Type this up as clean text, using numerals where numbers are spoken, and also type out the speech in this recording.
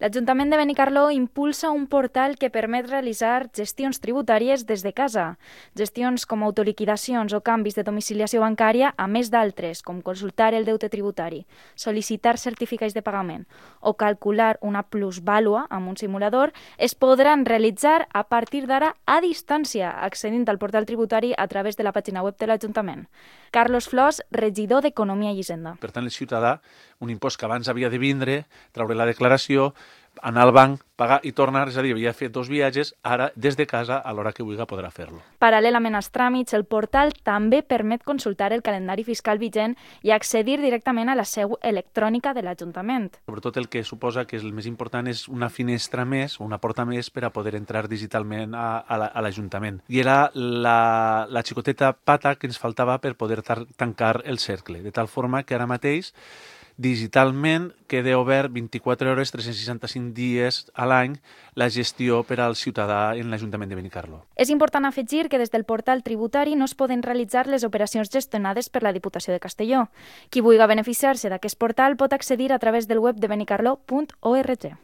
L'Ajuntament de Benicarló impulsa un portal que permet realitzar gestions tributàries des de casa. Gestions com autoliquidacions o canvis de domiciliació bancària, a més d'altres, com consultar el deute tributari, sol·licitar certificats de pagament o calcular una plusvàlua amb un simulador, es podran realitzar a partir d'ara a distància, accedint al portal tributari a través de la pàgina web de l'Ajuntament. Carlos Flors, regidor d'Economia i Hisenda. Per tant, el ciutadà, un impost que abans havia de vindre, treure la declaració, anar al banc, pagar i tornar, és a dir, havia fet 2 viatges, ara des de casa a l'hora que vulgui podrà fer-lo. Paral·lelament als tràmits, el portal també permet consultar el calendari fiscal vigent i accedir directament a la seu electrònica de l'Ajuntament. Sobretot el que suposa que el més important és una finestra més, una porta més per a poder entrar digitalment a l'Ajuntament. I era la xicoteta pata que ens faltava per poder tancar el cercle, de tal forma que ara mateix digitalment queda obert 24 hores, 365 dies a l'any la gestió per al ciutadà en l'Ajuntament de Benicarló. És important afegir que des del portal tributari no es poden realitzar les operacions gestionades per la Diputació de Castelló. Qui vulgui beneficiar-se d'aquest portal pot accedir a través del web de benicarló.org.